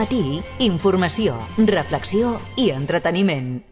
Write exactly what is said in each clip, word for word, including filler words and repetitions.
matí, informació, reflexió i entreteniment.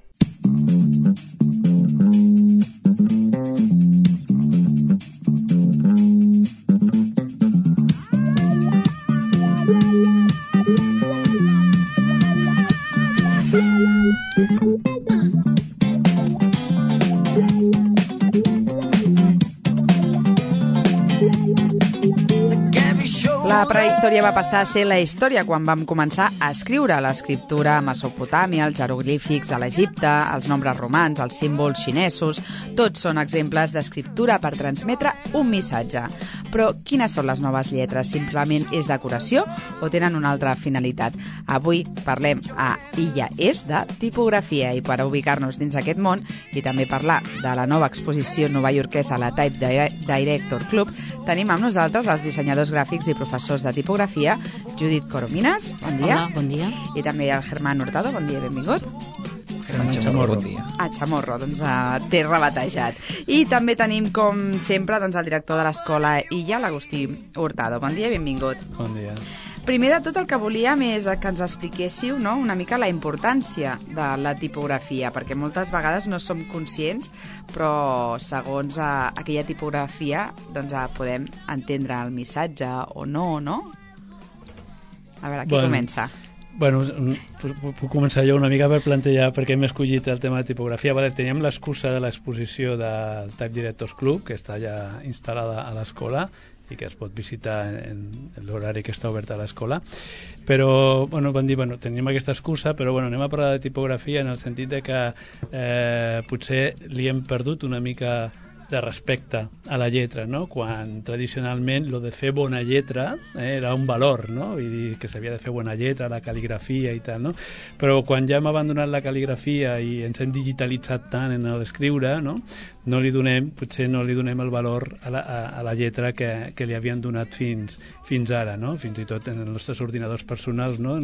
La prehistòria va passar a ser la història quan vam començar a escriure l'escriptura a Mesopotàmia, els jeroglífics a l'Egipte, els nombres romans, els símbols xinesos. Tots són exemples d'escriptura per transmetre un missatge. Però quines són les noves lletres? Simplement és decoració o tenen una altra finalitat? Avui parlem a Illa És de tipografia, i per ubicar-nos dins aquest món i també parlar de la nova exposició novaiorquesa a la Type Director Club, tenim amb nosaltres els dissenyadors gràfics i professors de tipografia, Judit Coromines, bon dia. Hola, bon dia. I també el Germán Hurtado, bon dia i benvingut. Germán Chamorro, bon dia. Ah, Chamorro, doncs uh, t'he rebatejat. I també tenim, com sempre, doncs, el director de l'escola Illa, l'Agustí Hurtado. Bon dia i benvingut. Bon dia. Primer de tot, el que volíem és que ens expliquéssiu, no?, una mica la importància de la tipografia, perquè moltes vegades no som conscients, però segons uh, aquella tipografia doncs, uh, podem entendre el missatge o no, no? A veure, qui bueno, comença? Bueno, puc començar jo una mica per plantejar per què hem escollit el tema de tipografia. Vale, teníem l'excusa de l'exposició del Type Directors Club, que està ja instal·lada a l'escola i que es pot visitar en, en l'horari que està obert a l'escola. Però, bueno, van dir, bueno, tenim aquesta excusa, però bueno, anem a parlar de tipografia en el sentit de que eh, potser li hem perdut una mica de respecte a la lletra, no? Quan tradicionalment lo de fer bona lletra eh, era un valor, no? I dir que s'havia de fer bona lletra, la cal·ligrafia i tal, no? Però quan ja hem abandonat la cal·ligrafia i ens hem digitalitzat tant en l'escriure, no? No li donem, potser no li donem el valor a la, a, a la lletra que, que li havien donat fins, fins ara, no? Fins i tot en els nostres ordinadors personals, no?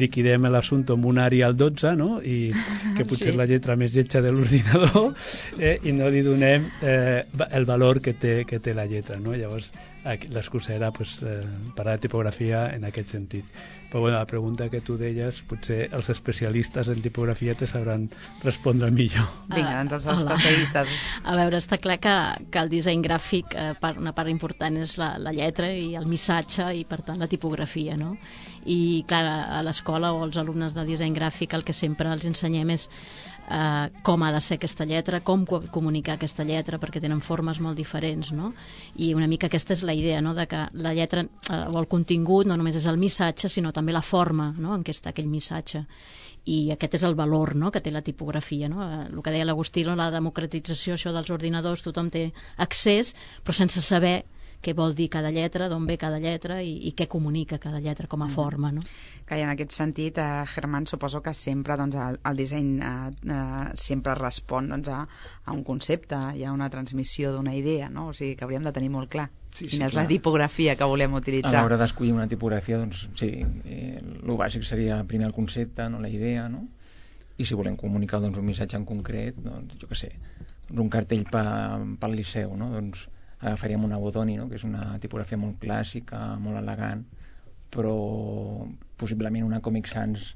Liquidem l'assumpte amb un Arial dotze, no? I que potser sí. És la lletra més lletja de l'ordinador, eh? I no li donem eh, el valor que té, que té la lletra, no? Llavors, l'excusa era pues, eh, parlar de tipografia en aquest sentit. Però bueno, la pregunta que tu deies, potser els especialistes en tipografia te sabran respondre millor. Vinga, doncs els Hola. especialistes. A veure, està clar que, que el disseny gràfic, eh, part, una part important és la, la lletra i el missatge i, per tant, la tipografia, no? I, clar, a l'escola o als alumnes de disseny gràfic el que sempre els ensenyem és Uh, com ha de ser aquesta lletra, com comunicar aquesta lletra, perquè tenen formes molt diferents, no? I una mica aquesta és la idea, no?, de que la lletra uh, o el contingut no només és el missatge, sinó també la forma, no?, en què està aquell missatge. I aquest és el valor, no?, que té la tipografia, no? Uh, el que deia l'Agustí, no?, la democratització, això dels ordinadors, tothom té accés, però sense saber què vol dir cada lletra, d'on ve cada lletra i, i què comunica cada lletra com a forma, no? Que en aquest sentit, eh, Germán, suposo que sempre doncs, el, el disseny eh, eh, sempre respon doncs, a, a un concepte i a una transmissió d'una idea, no? O sigui que hauríem de tenir molt clar sí, sí, quina és clar. la tipografia que volem utilitzar. A l'hora d'escollir una tipografia, doncs sí, eh, el bàsic seria primer el concepte, no, la idea, no? I si volem comunicar doncs, un missatge en concret, doncs, jo què sé, doncs, un cartell pa, pel Liceu, no? Doncs agafaríem una Bodoni, no?, que és una tipografia molt clàssica, molt elegant, però possiblement una Comic Sans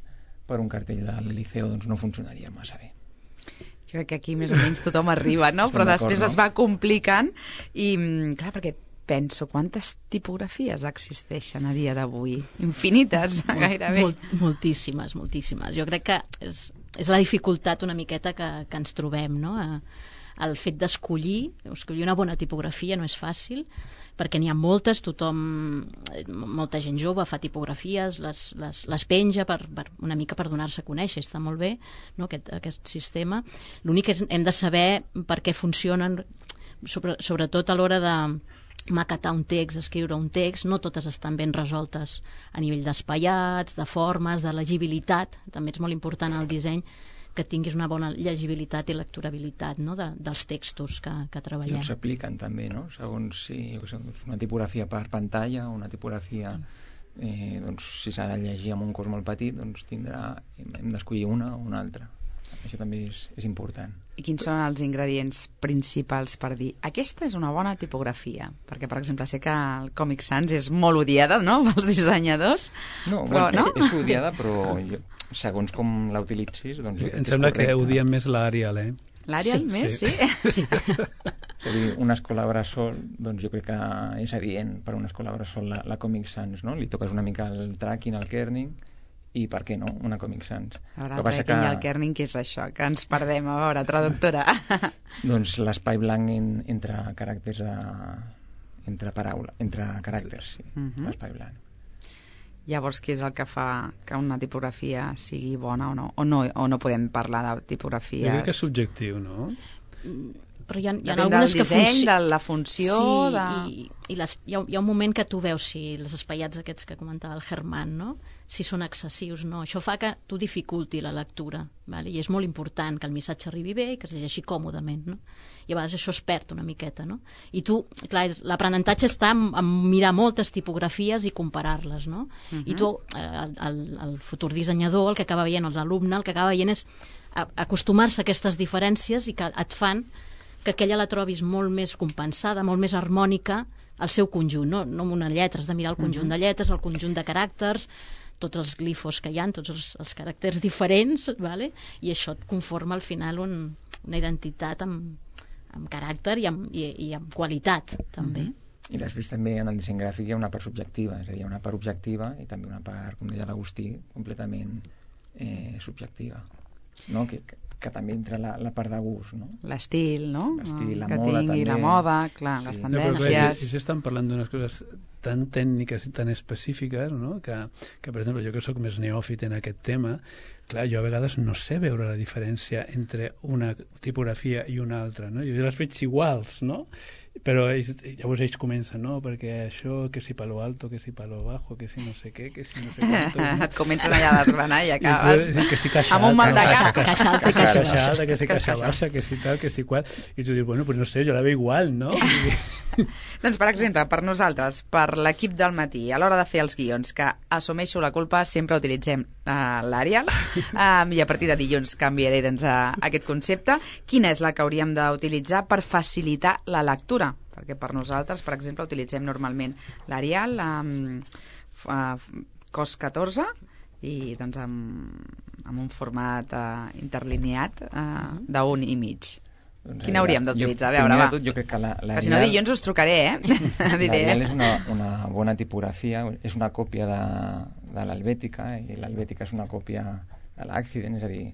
per un cartell del Liceu doncs no funcionaria massa bé. Jo crec que aquí més o menys tothom arriba, no? Però després no? Es va complicant i, clar, perquè penso, quantes tipografies existeixen a dia d'avui? Infinites, Molt, gairebé. Molt, moltíssimes, moltíssimes. Jo crec que és, és la dificultat una miqueta que, que ens trobem, no?, a, el fet d'escollir, escollir una bona tipografia no és fàcil, perquè n'hi ha moltes, tothom, molta gent jove fa tipografies, les, les, les penja per, per, una mica per donar-se a conèixer, està molt bé, no, aquest, aquest sistema. L'únic és hem de saber per què funcionen, sobre, sobretot a l'hora de maquetar un text, escriure un text, no totes estan ben resoltes a nivell d'espaiats, de formes, de legibilitat, també és molt important el disseny, que tinguis una bona llegibilitat i lecturabilitat, no?, de, dels textos que, que treballem. I s'apliquen també, no?, segons si jo què sé, una tipografia per pantalla o una tipografia, eh, doncs, si s'ha de llegir amb un cos molt petit, doncs tindrà, hem d'escollir una o una altra. Això també és, és important. I quins són els ingredients principals per dir aquesta és una bona tipografia? Perquè, per exemple, sé que el Comic Sans és molt odiada, no?, pels dissenyadors. No, però, bueno, no? és odiada, però jo, segons com la utilitzis, doncs jo crec Em que sembla és correcte. que odien més l'Arial, eh? L'Arial Sí, més, sí? Sí. És a dir, una escola bressol, doncs jo crec que és adient per una escola bressol la, la Comic Sans, no? Li toques una mica el tracking, el kerning, i per què no, una Comic Sans. A veure, el tracking i el kerning, què és això? Que ens perdem, a veure, traductora. Doncs l'espai blanc en, entre caràcters, a, entre paraula, entre caràcters, sí, Uh -huh. l'espai blanc. Llavors, què és el que fa que una tipografia sigui bona o no? O no, o no podem parlar de tipografies? Jo crec que és subjectiu, no? Però hi ha, hi ha Depèn algunes del que disseny, funci- de la funció... Sí, de... i, i les, hi, ha, hi ha un moment que tu veus si els espaiats aquests que comentava el Germán, no?, si són excessius o no. Això fa que tu dificulti la lectura, vale? I és molt important que el missatge arribi bé i que es llegeixi còmodament, no? I a vegades això es perd una miqueta, no? I tu, clar, l'aprenentatge està en, en mirar moltes tipografies i comparar-les, no? Uh-huh. I tu, eh, el, el, el futur dissenyador, el que acaba veient, l'alumne, el que acaba veient és a, acostumar-se a aquestes diferències i que et fan que aquella la trobis molt més compensada, molt més harmònica al seu conjunt, no, no amb una lletra, has de mirar el conjunt uh-huh. de lletres, el conjunt de caràcters, tots els glifos que hi ha, tots els, els caràcters diferents, vale? I això et conforma al final un, una identitat amb, amb caràcter i amb, i, i amb qualitat, també. Uh-huh. I després també en el disseny gràfic hi ha una part subjectiva, és a dir, hi ha una part objectiva i també una part, com deia l'Agustí, completament eh, subjectiva, no? Que, que que també entra la, la part de gust, no? L'estil, no? L'estil, la que moda, tingui també. la moda, clar, Sí. les No, però tendències... clar, si, si estan parlant d'unes coses tan tècniques i tan específiques, no? que, que, per exemple, jo que sóc més neòfit en aquest tema, clar, jo a vegades no sé veure la diferència entre una tipografia i una altra, no? Jo les veig iguals, no? Però ells, llavors ells comencen, no? Perquè això, que si palo alto, que si palo bajo, que si no sé què, que si no sé quanto... No? Et comencen allà a desgranar i I acabes tu, que si caixa amb un mal de alta, cap. Caixa alta i caixa, caixa caixa baixa. alta, que si Que caixa caixa baixa, que si tal, que si qual... I tu dius, bueno, pues no sé, jo la veig igual, no? Doncs, per exemple, per nosaltres, per l'equip del matí, a l'hora de fer els guions, que assumeixo la culpa, sempre utilitzem uh, l'Arial, um, i a partir de dilluns canviaré doncs, a, a aquest concepte. Quina és la que hauríem d'utilitzar per facilitar la lectura? Perquè per nosaltres, per exemple, utilitzem normalment l'Arial um, uh, cos catorze i doncs amb, amb un format uh, interlineat uh, d'un i mig. Doncs, Quina hauríem d'utilitzar? A Jo, veure, primer va. de tot, jo crec que la, la Que si no, dilluns us trucaré, eh? Diré, L'Arial eh? és una, una bona tipografia, és una còpia de, de l'Helvètica, i l'Helvètica és una còpia de l'Accident, és a dir,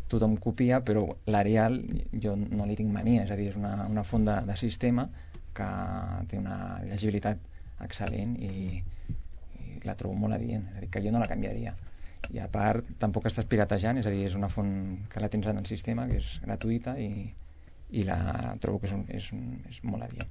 tothom copia, però l'Arial jo no li tinc mania, és a dir, és una, una font de, de sistema que té una llegibilitat excel·lent i, i la trobo molt adient, és a dir, que jo no la canviaria. I a part, tampoc estàs piratejant, és a dir, és una font que la tens en el sistema, que és gratuïta i, i la trobo que és, un, és, un, és molt adient.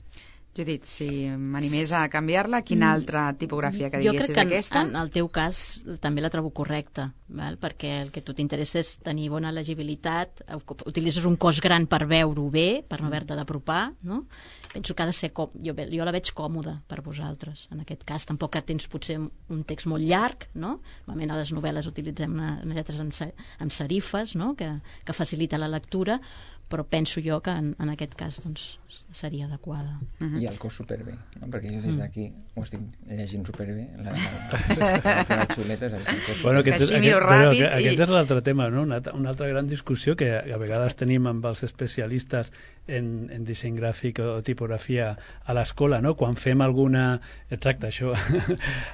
Judit, si m'animés a canviar-la, quina altra tipografia que Jo diguessis crec que en, aquesta? en el teu cas també la trobo correcta, val? Perquè el que a tu t'interessa és tenir bona legibilitat, utilitzes un cos gran per veure-ho bé, per no haver-te d'apropar, no? Penso que ha de ser com... Jo, jo la veig còmoda per vosaltres, en aquest cas. Tampoc que tens potser un text molt llarg, no? Normalment a les novel·les utilitzem una, una lletres amb, amb serifes, no? Que, que facilita la lectura, però penso jo que en, en aquest cas doncs, seria adequada. Uh-huh. I el cos superbé, no? Perquè jo des d'aquí ho estic llegint superbé, la, la, la, la xuleta és el cos. Bueno, És que aquest, així miro aquest, però ràpid aquest, i- aquest és l'altre tema, no? Una, una altra gran discussió que a vegades tenim amb els especialistes en, en disseny gràfic o tipografia a l'escola, no? Quan fem alguna... Exacte, això.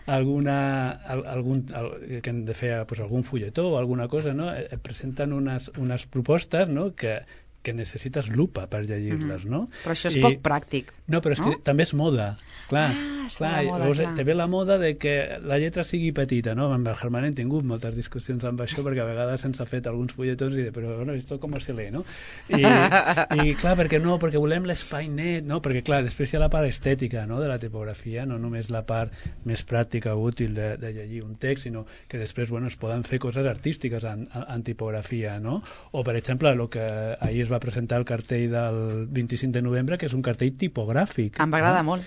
alguna... Algun, al, que hem de fer pues, algun fulletó o alguna cosa, no? Et presenten unes, unes propostes, no? Que que necessites lupa per llegir-les, no? Però això és I... poc pràctic. No, però és no? que també és moda. Clar, Ah, està clar, de moda, llavors clar. te ve la moda de que la lletra sigui petita, no? Amb el Germán hem tingut moltes discussions amb això perquè a vegades se'ns ha fet alguns fulletons i de, però bueno, esto com se lee, no? I, i clar, perquè no, perquè volem l'espai net, no? Perquè clar, després hi ha la part estètica, no?, de la tipografia, no només la part més pràctica o útil de, de llegir un text, sinó que després, bueno, es poden fer coses artístiques en, en tipografia, no? O, per exemple, el que ahir es va presentar el cartell del vint-i-cinc de novembre, que és un cartell tipogràfic. Em va agradar no? molt.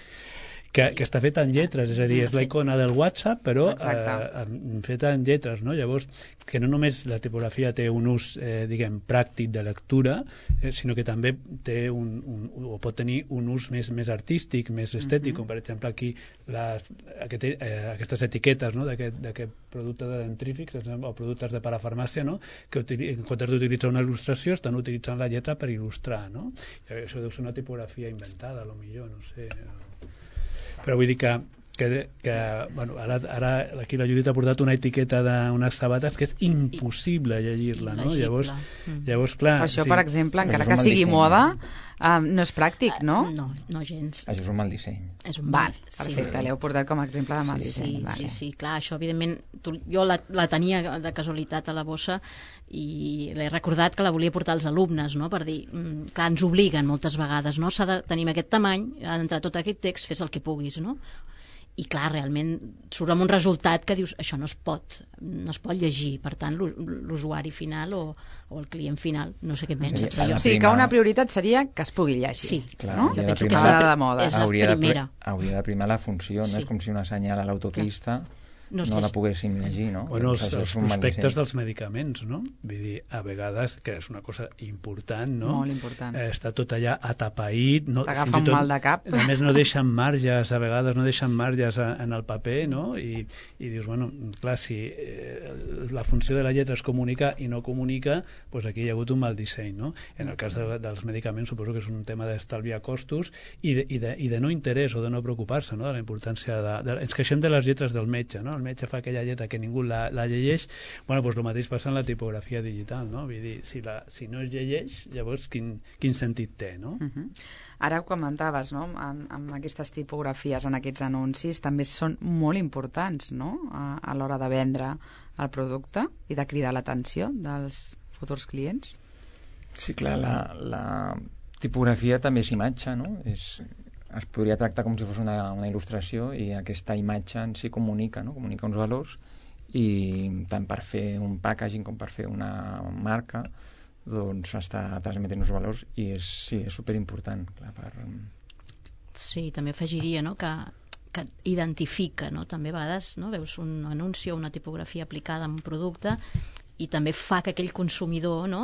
que, que està feta en lletres, és a dir, és la icona del WhatsApp, però eh, feta en lletres, no? Llavors, que no només la tipografia té un ús, eh, diguem, pràctic de lectura, eh, sinó que també té un, un, o pot tenir un ús més, més artístic, més estètic, uh-huh. com per exemple aquí les, aquest, eh, aquestes etiquetes, no? d'aquest producte de dentrífics o productes de parafarmàcia, no? Que en comptes d'utilitzar una il·lustració estan utilitzant la lletra per il·lustrar, no? I això deu ser una tipografia inventada, a lo millor, no sé. Però vull dir que, que, que bueno, ara, ara aquí la Judit ha portat una etiqueta d'unes sabates que és impossible llegir-la, no? Llavors, llavors, clar... Això, per exemple, encara que sigui moda, um, no és pràctic, no? Uh, no, no gens. Això és un mal disseny. És un Val, mal, perfecte, sí. L'heu portat com a exemple de mal sí, disseny. Sí, vale. sí, sí, clar, això evidentment, tu, jo la, la tenia de casualitat a la bossa i l'he recordat que la volia portar als alumnes, no? Per dir, mm, clar, ens obliguen moltes vegades, no? S'ha de tenir aquest tamany, ha d'entrar tot aquest text, fes el que puguis, no? I clar, realment surt amb un resultat que dius, això no es pot, no es pot llegir, per tant l'usuari final o, o el client final, no sé què pensa. Sí, o sigui que una prioritat seria que es pugui llegir. Sí, clar, no? Jo penso que és la, de moda. És la hauria primera. De, hauria de primar la funció, no sí. és com si una senyal a l'autopista no, no la poguéssim llegir, no? Bueno, els, els prospectes dels medicaments, no? Vull dir, a vegades, que és una cosa important, no? Molt important. Eh, està tot allà atapeït. No, t'agafa un mal de cap. A més, no deixen marges, a vegades no deixen marges a, en el paper, no? I, i dius, bueno, clar, si eh, la funció de la lletra és comunicar i no comunica, doncs aquí hi ha hagut un mal disseny, no? En el cas de, dels medicaments suposo que és un tema d'estalviar costos i de, i, de, i de no interès o de no preocupar-se, no? De la importància de, de... Ens queixem de les lletres del metge, no? El metge fa aquella lletra que ningú la, la llegeix, bueno, doncs el mateix passa en la tipografia digital, no? Vull dir, si, la, si no es llegeix, llavors quin, quin sentit té, no? Uh-huh. Ara ho comentaves, no? Amb, amb aquestes tipografies en aquests anuncis també són molt importants, no? A, a l'hora de vendre el producte i de cridar l'atenció dels futurs clients. Sí, clar, la, la tipografia també és imatge, no? És... es podria tractar com si fos una, una il·lustració i aquesta imatge en si comunica, no? Comunica uns valors i tant per fer un packaging com per fer una marca doncs està transmetent uns valors i és, sí, és superimportant, clar, per... Sí, també afegiria, no?, que, que identifica, no?, també a vegades, no?, veus un anunci o una tipografia aplicada en un producte i també fa que aquell consumidor, no?,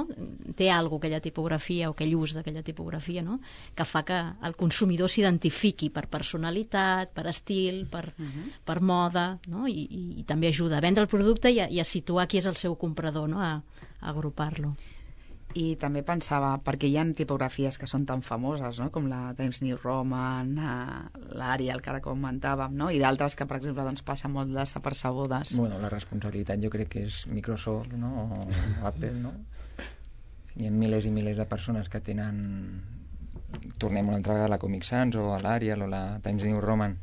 té alguna aquella tipografia o aquell ús d'aquella tipografia, no?, que fa que el consumidor s'identifiqui per personalitat, per estil, per, uh-huh. per moda, no?, I, i, i també ajuda a vendre el producte i a, i a situar qui és el seu comprador, no?, a, a agrupar-lo. I també pensava, perquè hi ha tipografies que són tan famoses, no?, com la Times New Roman, l'Arial, que ara comentàvem, no?, i d'altres que, per exemple, doncs, passen molt desapercebudes. Bueno, la responsabilitat jo crec que és Microsoft, no?, o Apple, no? Hi ha milers i milers de persones que tenen... Tornem una altra vegada a la Comic Sans o a l'Arial o la Times New Roman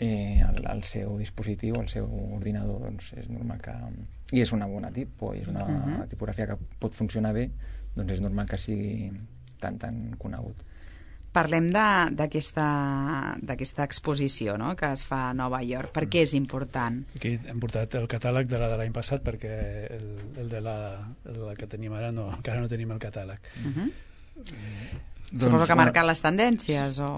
eh, al, al seu dispositiu, al seu ordinador, doncs és normal que... I és una bona tipo, és una uh-huh. tipografia que pot funcionar bé, doncs és normal que sigui tan, tan conegut. Parlem d'aquesta d'aquesta exposició, no?, que es fa a Nova York. Per què és important? Aquí hem portat el catàleg de la de l'any passat perquè el, el, de la, el de la que tenim ara no, encara no tenim el catàleg. Uh-huh. Mm. Suposo doncs, que ha marcat les tendències o...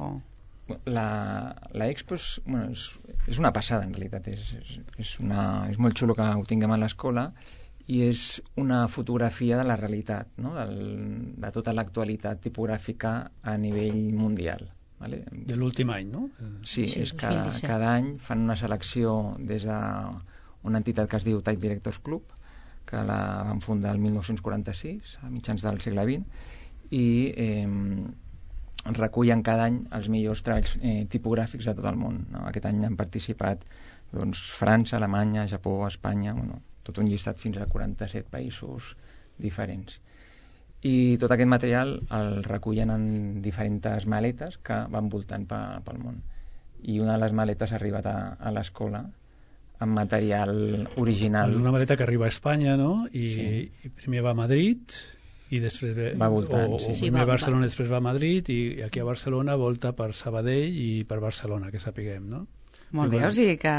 La, la Expo és, bueno, és, és una passada en realitat, és, és, és, una, és molt xulo que ho tinguem a l'escola i és una fotografia de la realitat, no? Del, de tota l'actualitat tipogràfica a nivell mundial, vale? De l'últim any, no? Sí, sí, és cada, cada any fan una selecció des d'una entitat que es diu Type Directors Club, que la van fundar el mil nou-cents quaranta-sis, a mitjans del segle vint, i eh, recullen cada any els millors treballs eh, tipogràfics de tot el món, no? Aquest any han participat doncs, França, Alemanya, Japó, Espanya, bueno, tot un llistat fins a quaranta-set països diferents. I tot aquest material el recullen en diferents maletes que van voltant pe, pel món. I una de les maletes ha arribat a, a l'escola amb material original. Una maleta que arriba a Espanya, no? I, sí. i primer va a Madrid... i després ve, va voltant, o, sí. o primer sí, va, Barcelona, va. Després va a Madrid i aquí a Barcelona volta per Sabadell i per Barcelona, que sapiguem, no? Molt bé, o sigui que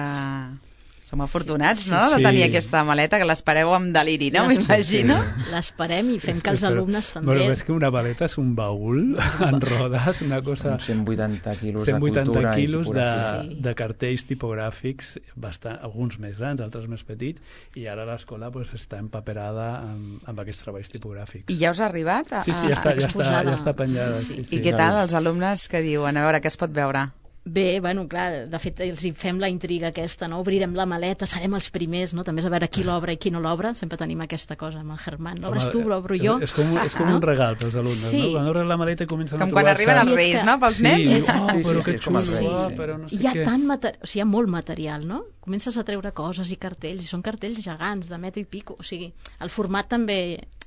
Som afortunats, no?, Sí. de tenir aquesta maleta, que l'espereu amb deliri, no?, m'imagino. L'esperem i fem que els Però- alumnes també... Bueno, és que una maleta és un baül en rodes, una cosa... Uns cent vuitanta quilos cent de vuitanta cultura i quilos de, tipografia. Sí. de cartells tipogràfics, bastant, alguns més grans, altres més petits, i ara l'escola pues, està empaperada amb, amb aquests treballs tipogràfics. I ja us ha arribat? A, Sí, sí, ja a- està, ja està, exposada. ja està penjada. Sí, sí. I què tal els alumnes que diuen? A veure, què es pot veure? Bé, bueno, clar, de fet els hi fem la intriga aquesta, no? Obrirem la maleta, serem els primers, no? També és a veure qui l'obre i qui no l'obre, sempre tenim aquesta cosa amb el Germán. L'obres tu, l'obro jo. És, és com, és com No? un regal pels alumnes, Sí. no? Quan obren la maleta i comencen Com a quan trobar-se... arriben els I és Reis, que- no?, pels Sí, nens? diu, És- oh, Sí, sí, però sí, que és com els xulo, Reis, oh, sí. però no sé Hi ha què. tant material, o sigui, hi ha molt material, no? Comences a treure coses i cartells, i són cartells gegants, de metro i pico, o sigui, el format també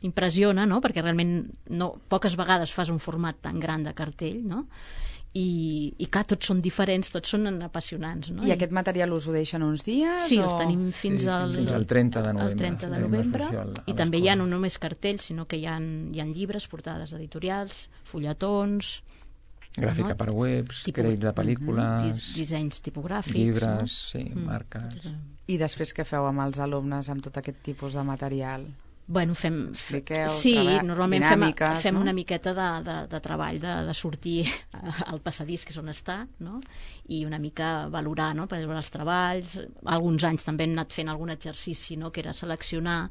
impressiona, no?, perquè realment no, poques vegades fas un format tan gran de cartell, no?, i, i clar, tots són diferents, tots són apassionants, no? I aquest material us ho deixen uns dies? Sí, o... els tenim fins, Sí, al, fins al trenta de novembre. al trenta de Tenim novembre, l'exposició al- a i també hi ha l'escola. no només cartells, sinó que hi ha, hi ha llibres, portades editorials, fulletons, Gràfica no? per webs, Tipus- crèdits de pel·lícules, dis, dissenys tipogràfics, llibres, no? sí, Mm. marques... I després què feu amb els alumnes amb tot aquest tipus de material? Bueno, fem... Expliqueu, sí, treba- normalment fem, dinàmiques, fem no? una miqueta de, de, de treball, de, de sortir al passadís, que és on està, no? I una mica valorar, no?, per veure els treballs. Alguns anys també hem anat fent algun exercici, no?, que era seleccionar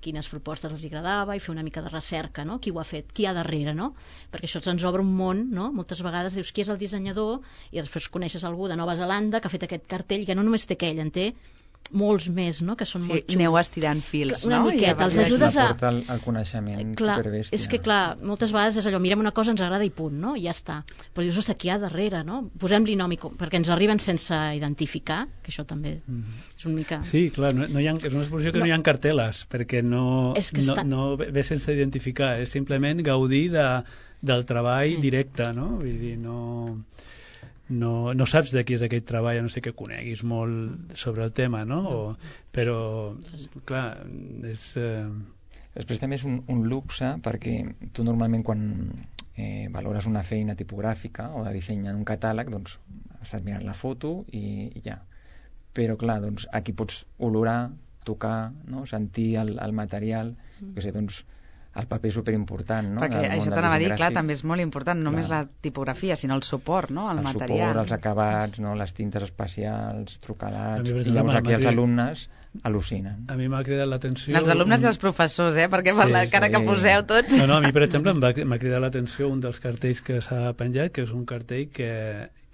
quines propostes els agradava i fer una mica de recerca, no?, qui ho ha fet, qui hi ha darrere, no? Perquè això ens obre un món, no? Moltes vegades dius qui és el dissenyador i després coneixes algú de Nova Zelanda que ha fet aquest cartell, que no només té aquell, en té molts més, no?, que són Sí, molt xulos. aneu estirant fils, Una no? miqueta, I els llavors- ajudes a- porta el, el coneixement Clar, superbèstia. és que clar, moltes vegades és allò, mirem una cosa, ens agrada i punt, no? I ja està. Però dius, ostres, qui hi ha darrere, no? Posem-li nom, i com- perquè ens arriben sense identificar, que això també és una mica... Sí, clar, no, no hi ha, és una exposició que no, No. no hi ha cartel·les, perquè no, És que no, està- no ve ve sense identificar, és simplement gaudir de, del treball directe, no? Vull dir, no, no, no saps de qui és aquest treball, a no sé que coneguis molt sobre el tema, no? O, però, clar, és... Eh, Després també és un, un luxe perquè tu normalment quan eh, valores una feina tipogràfica o de disseny en un catàleg, doncs estàs mirant la foto i, i ja. Però clar, doncs aquí pots olorar, tocar, no? Sentir el, el material, que sé, doncs el paper és superimportant, no? Perquè en el món això del t'anava a dir, disseny clar, gràfic. també és molt important, no només Clar. la tipografia, sinó el suport, no?, el, el material. suport, els acabats, no? Les tintes especials, A trucadats, mi, per i exemple, llavors aquí m'ha els cridat- alumnes al·lucinen. a mi m'ha cridat l'atenció... Els alumnes i un- els professors, eh?, perquè per Sí, la cara que sí. poseu tots... No, no, a mi, per exemple, em va, m'ha cridat l'atenció un dels cartells que s'ha penjat, que és un cartell que,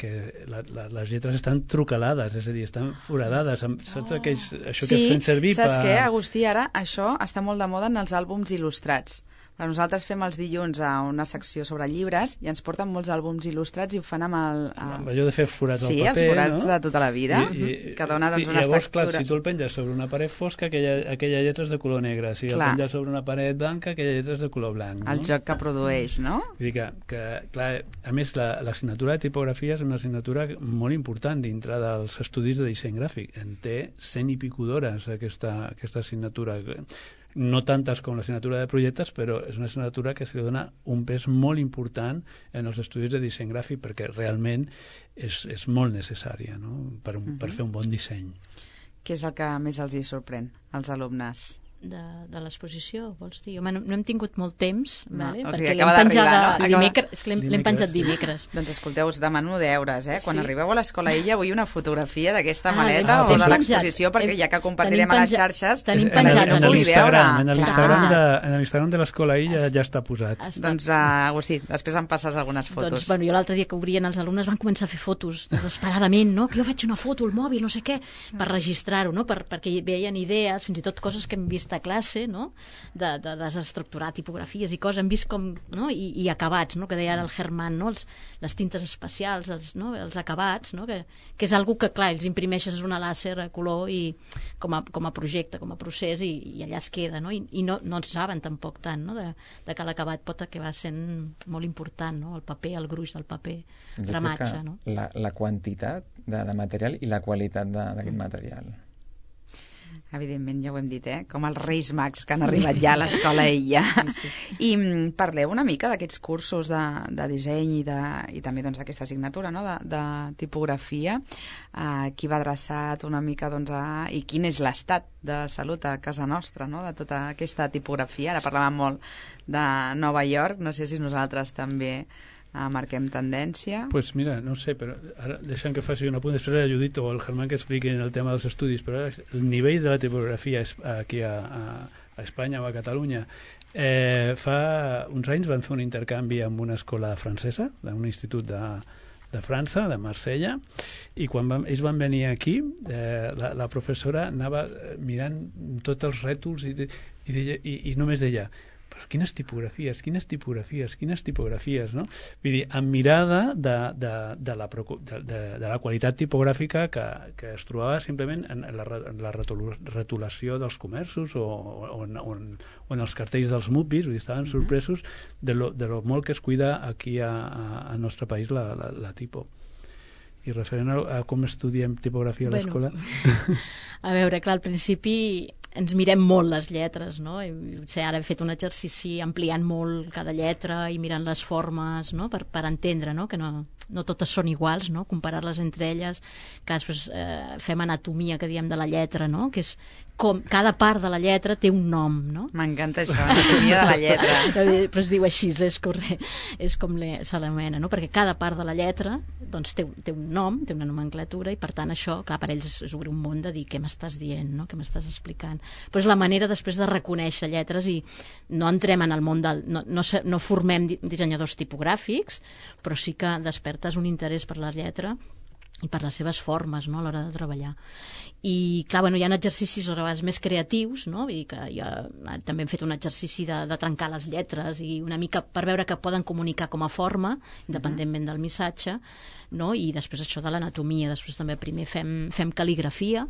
que la, la, les lletres estan trucalades, és a dir, estan foradades. Amb, saps aquells, això que Sí, es fan servir saps per... què, Agustí? Ara això està molt de moda en els àlbums il·lustrats. Però nosaltres fem els dilluns a una secció sobre llibres i ens porten molts àlbums il·lustrats i ho fan amb el... Amb allò de fer forats Sí, al paper, els forats no? de tota la vida, que dona doncs, i, unes llavors, clar, textures. si tu el penges sobre una paret fosca, aquella, aquella lletra és de color negre. Si Clar. el penges sobre una paret blanca, aquella lletra és de color blanc. El no? joc que produeix, no? Vull dir que, que clar, a més, la- l'assignatura de tipografia és una assignatura molt important dintre dels estudis de disseny gràfic. En té cent i pico d'hores aquesta, aquesta assignatura. No tantes com l'assignatura de projectes, però és una assignatura que se li dona un pes molt important en els estudis de disseny gràfic perquè realment és, és molt necessària, no?, per, un, per fer un bon disseny. Què és el que més els hi sorprèn, als alumnes? de, de l'exposició, vols dir? Home, no, no hem tingut molt temps, No, vale? o sigui, perquè acaba l'hem penjat d'arribar, no? a- Acaba- dimecres, és que l'hem l'hem Dimecres, penjat sí. dimecres. Doncs escolteu, us demano deures, eh? Quan Sí. arribeu a l'Escola Illa vull una fotografia d'aquesta Ah, maleta l'hem- o de l'hem l'exposició, penjat. perquè Hem- ja que compartirem tenim a les penjat- xarxes, tenim que penjat la a gent pugui l'Instagram, veure. en Clar. l'Instagram de, en l'Instagram de l'Escola Illa ja està posat. Està- Doncs, uh, Agustí, després em passes algunes fotos. Doncs, bueno, jo l'altre dia que obrien els alumnes van començar a fer fotos desesperadament, no? Que jo faig una foto al mòbil, no sé què, per registrar-ho, no? Per, perquè hi veien idees, fins i tot coses que hem vist a classe, no? De, de desestructurar tipografies i coses, hem vist com, no? I, i acabats, no? Que deia ara el Germán, no? Els, les tintes especials, els, no? Els acabats, no? Que, que és algo que, clar, els imprimeixes una làser a color i com a, com a projecte, com a procés, i, i allà es queda, no? I, i no, no en saben tampoc tant, no? De, de que l'acabat pot acabar sent molt important, no? El paper, el gruix del paper, Jo crec gramatge, que no? la, la quantitat de, de material i la qualitat de- d'aquest material. Evidentment, ja ho hem dit, eh? Com els Reis Mags que han arribat ja a l'escola Illa. Sí, sí. I mm, parleu una mica d'aquests cursos de, de disseny i, de, i també doncs, aquesta assignatura, no? de, de tipografia. Uh, qui va adreçat una mica doncs, a... i quin és l'estat de salut a casa nostra, no? De tota aquesta tipografia. Ara parlàvem molt de Nova York, no sé si nosaltres també Uh, marquem tendència. Pues mira, no sé, però ara deixem que faci un apunt, després la Judit o el Germán que expliquin el tema dels estudis, però ara el nivell de la tipografia aquí a, a, a Espanya o a Catalunya, eh, fa uns anys van fer un intercanvi amb una escola francesa, d'un institut de, de França, de Marsella, i quan van, ells van venir aquí, eh, la, la professora anava mirant tots els rètols i, i, deia, i, i només deia però quines tipografies, quines tipografies, quines tipografies, no? Vull dir, amb mirada de, de, de, la, de, de, de la qualitat tipogràfica que, que es trobava simplement en la, en la retolació dels comerços o, o, en, o, en, o en els cartells dels mupis, vull dir, estaven sorpresos de lo, de lo molt que es cuida aquí a, a, al nostre país la, la, la tipo. I referent a, a com estudiem tipografia a l'escola... Bueno, a veure, clar, al principi ens mirem molt les lletres, no? I, potser ara hem fet un exercici ampliant molt cada lletra i mirant les formes, no? per, per entendre, no? Que no, no totes són iguals, no? Comparar-les entre elles, que després eh, fem anatomia, que diem, de la lletra, no? Que és com cada part de la lletra té un nom, no? M'encanta això, anatomia de la lletra. Però es diu així, és, correcte, és com se l'anomena, no? Perquè cada part de la lletra doncs, té, té un nom, té una nomenclatura, i per tant això, clar, per ells és obrir un món de dir què m'estàs dient, no? Què m'estàs explicant. Però és la manera després de reconèixer lletres, i no entrem en el món del... No, no, no formem dissenyadors tipogràfics, però sí que despertes un interès per la lletra i per les seves formes, no? A l'hora de treballar. I clar, bueno, hi ha exercicis a vegades més creatius, no? Vull dir que ja, també hem fet un exercici de, de trencar les lletres i una mica per veure que poden comunicar com a forma, independentment del missatge, no? I després això de l'anatomia. Després també primer fem, fem cal·ligrafia,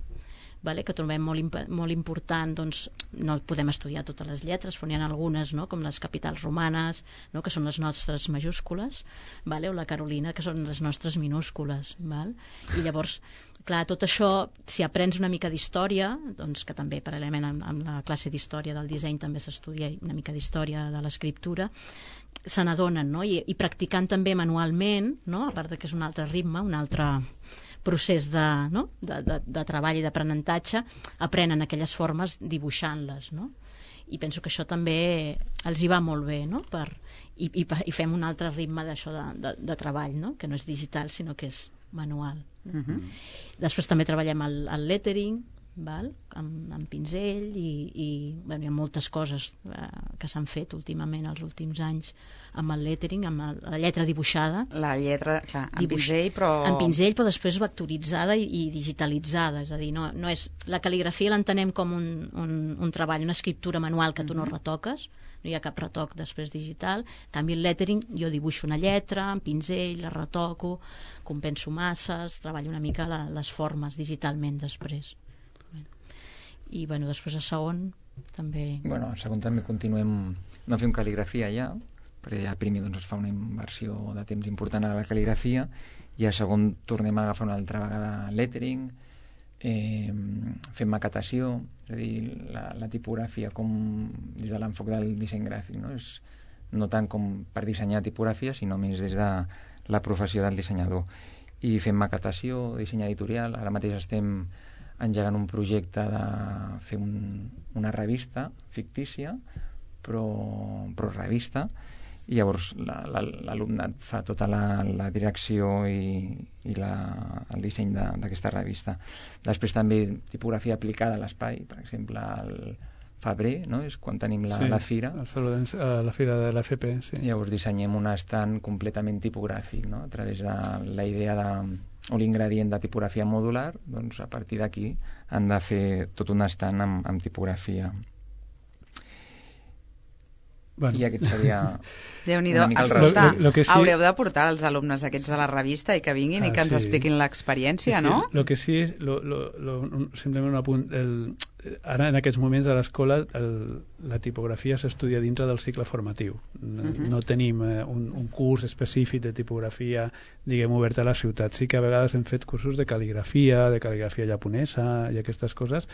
vale? Que trobem molt, imp molt important, doncs no podem estudiar totes les lletres, però n'hi ha algunes, no? Com les capitals romanes, no? Que són les nostres majúscules, vale? O la Carolina, que són les nostres minúscules, val? I llavors, clar, tot això, si aprens una mica d'història, doncs que també paral·lelament amb, amb la classe d'història del disseny també s'estudia una mica d'història de l'escriptura, se n'adonen, no? I, i practicant també manualment, no? A part de que és un altre ritme, un altre procés de, no? de, de, de treball i d'aprenentatge, aprenen aquelles formes dibuixant-les, no? I penso que això també els hi va molt bé, no? Per, i, i, i fem un altre ritme d'això de, de, de treball, no? Que no és digital, sinó que és manual. No? Uh-huh. Després també treballem el, el lettering, val? Amb, amb pinzell, i, i bueno, hi ha moltes coses eh, que s'han fet últimament els últims anys amb el lettering, amb el, la lletra dibuixada. La lletra, clar, amb Dibuix, pinzell, però... En pinzell, però després vectoritzada i, i digitalitzada, és a dir, no, no és... La cal·ligrafia l'entenem com un, un, un treball, una escriptura manual que tu no retoques, no hi ha cap retoc després digital. En canvi, el lettering, jo dibuixo una lletra amb pinzell, la retoco, compenso masses, treballo una mica la, les formes digitalment després. I bueno, després a segon també... Bueno, a segon també continuem, no fem cal·ligrafia ja, perquè ja primer doncs, es fa una inversió de temps important a la cal·ligrafia, i a segon tornem a agafar una altra vegada lettering, eh, fem maquetació, és a dir, la, la tipografia com des de l'enfoc del disseny gràfic, no? És no tant com per dissenyar tipografia, sinó més des de la professió del dissenyador. I fem maquetació, disseny editorial, ara mateix estem engegant un projecte de fer un, una revista fictícia, però, però revista, i llavors l'alumnat fa tota la, la direcció i, i la, el disseny d'aquesta revista. Després també tipografia aplicada a l'espai, per exemple, el febrer, no? És quan tenim la, sí, la fira. El la fira de l'F P, sí. Llavors dissenyem un estand completament tipogràfic, no? A través de la idea de o l'ingredient de tipografia modular, doncs a partir d'aquí han de fer tot un estant amb, amb tipografia. Bueno. I aquest seria Déu-n'hi-do. Escolta, lo, lo, lo sí... haureu de portar els alumnes aquests de la revista i que vinguin ah, i que ens sí. expliquin l'experiència, sí, sí. no? Lo que sí és, lo, lo, lo, simplement un apunt, el, ara en aquests moments a l'escola la tipografia s'estudia dintre del cicle formatiu. No, uh-huh. no tenim eh, un, un curs específic de tipografia, diguem, obert a la ciutat. Sí que a vegades hem fet cursos de cal·ligrafia, de cal·ligrafia japonesa i aquestes coses,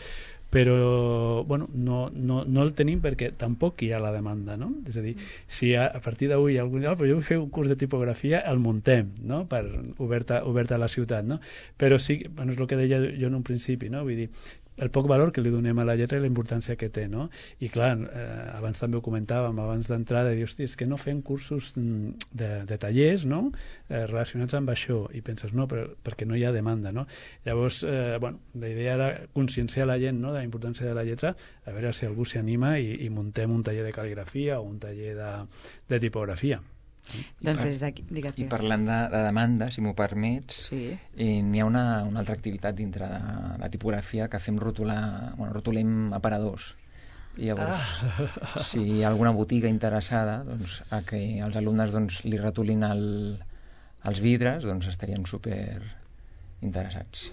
però bueno, no, no, no el tenim perquè tampoc hi ha la demanda, no? És a dir, si a, a partir d'avui algú diu, oh, però jo vull fer un curs de tipografia, el muntem, no? Per, obert, a, obert a la ciutat, no? Però sí, bueno, és el que deia jo en un principi, no? Vull dir, el poc valor que li donem a la lletra i la importància que té, no? I clar, eh, abans també ho comentàvem, abans d'entrada, dius, hosti, és que no fem cursos de, de tallers, no?, eh, relacionats amb això, i penses, no, però, perquè no hi ha demanda, no? Llavors, eh, bueno, la idea era conscienciar la gent, no?, de la importància de la lletra, a veure si algú s'hi anima i, i muntem un taller de cal·ligrafia o un taller de, de tipografia. Doncs des d'aquí, digues, I parlant de, de demanda, si m'ho permets, sí. eh, n'hi ha una, una altra activitat dintre de la tipografia que fem rotular, bueno, rotulem aparadors. I llavors, ah. si hi ha alguna botiga interessada doncs, a que els alumnes doncs, li rotulin el, els vidres, doncs estarien super interessats.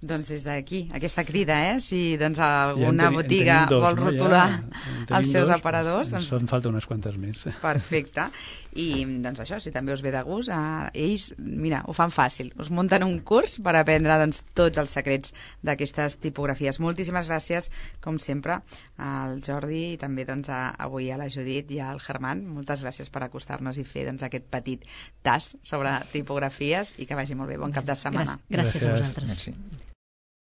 Doncs des d'aquí, aquesta crida, eh? Si doncs, alguna ja teni, botiga dos, vol rotular no? ja, els seus dos, aparadors... Ens doncs... en falta unes quantes més. Perfecte. I doncs això, si també us ve de gust, eh, ells, mira, ho fan fàcil. Us munten un curs per aprendre doncs, tots els secrets d'aquestes tipografies. Moltíssimes gràcies, com sempre, al Jordi i també doncs, a, avui a la Judit i al Germán. Moltes gràcies per acostar-nos i fer doncs, aquest petit tast sobre tipografies i que vagi molt bé. Bon cap de setmana. Gràcies, gràcies a vosaltres. Merci.